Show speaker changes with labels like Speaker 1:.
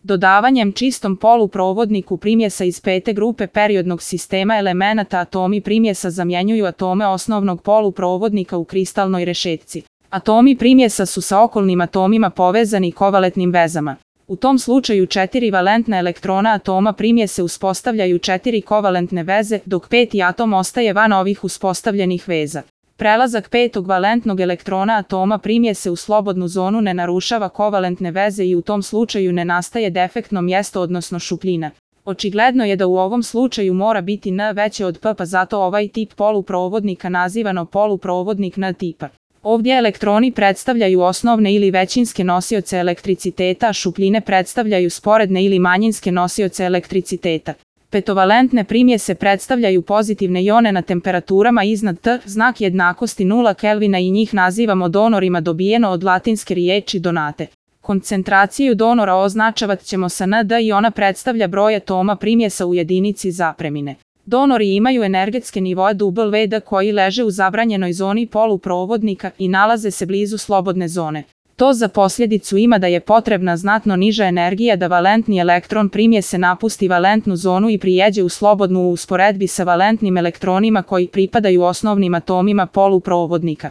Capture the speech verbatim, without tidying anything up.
Speaker 1: Dodavanjem čistom poluprovodniku primjesa iz pete grupe periodnog sistema elemenata atomi primjesa zamjenjuju atome osnovnog poluprovodnika u kristalnoj rešetci. Atomi primjesa su sa okolnim atomima povezani kovalentnim vezama. U tom slučaju četiri valentna elektrona atoma primjese uspostavljaju četiri kovalentne veze, dok peti atom ostaje van ovih uspostavljenih veza. Prelazak petog valentnog elektrona atoma primjese u slobodnu zonu ne narušava kovalentne veze i u tom slučaju ne nastaje defektno mjesto odnosno šupljina. Očigledno je da u ovom slučaju mora biti N veće od P, pa zato ovaj tip poluprovodnika nazivano poluprovodnik N tipa. Ovdje elektroni predstavljaju osnovne ili većinske nosioce elektriciteta, a šupljine predstavljaju sporedne ili manjinske nosioce elektriciteta. Petovalentne primjese predstavljaju pozitivne ione na temperaturama iznad T, znak jednakosti nula Kelvina i njih nazivamo donorima, dobijeno od latinske riječi donate. Koncentraciju donora označavat ćemo sa N D i ona predstavlja broj atoma primjesa u jedinici zapremine. Donori imaju energetske nivoe W D koji leže u zabranjenoj zoni poluprovodnika i nalaze se blizu slobodne zone. To za posljedicu ima da je potrebna znatno niža energija da valentni elektron primjese napusti valentnu zonu i prijeđe u slobodnu u usporedbi sa valentnim elektronima koji pripadaju osnovnim atomima poluprovodnika.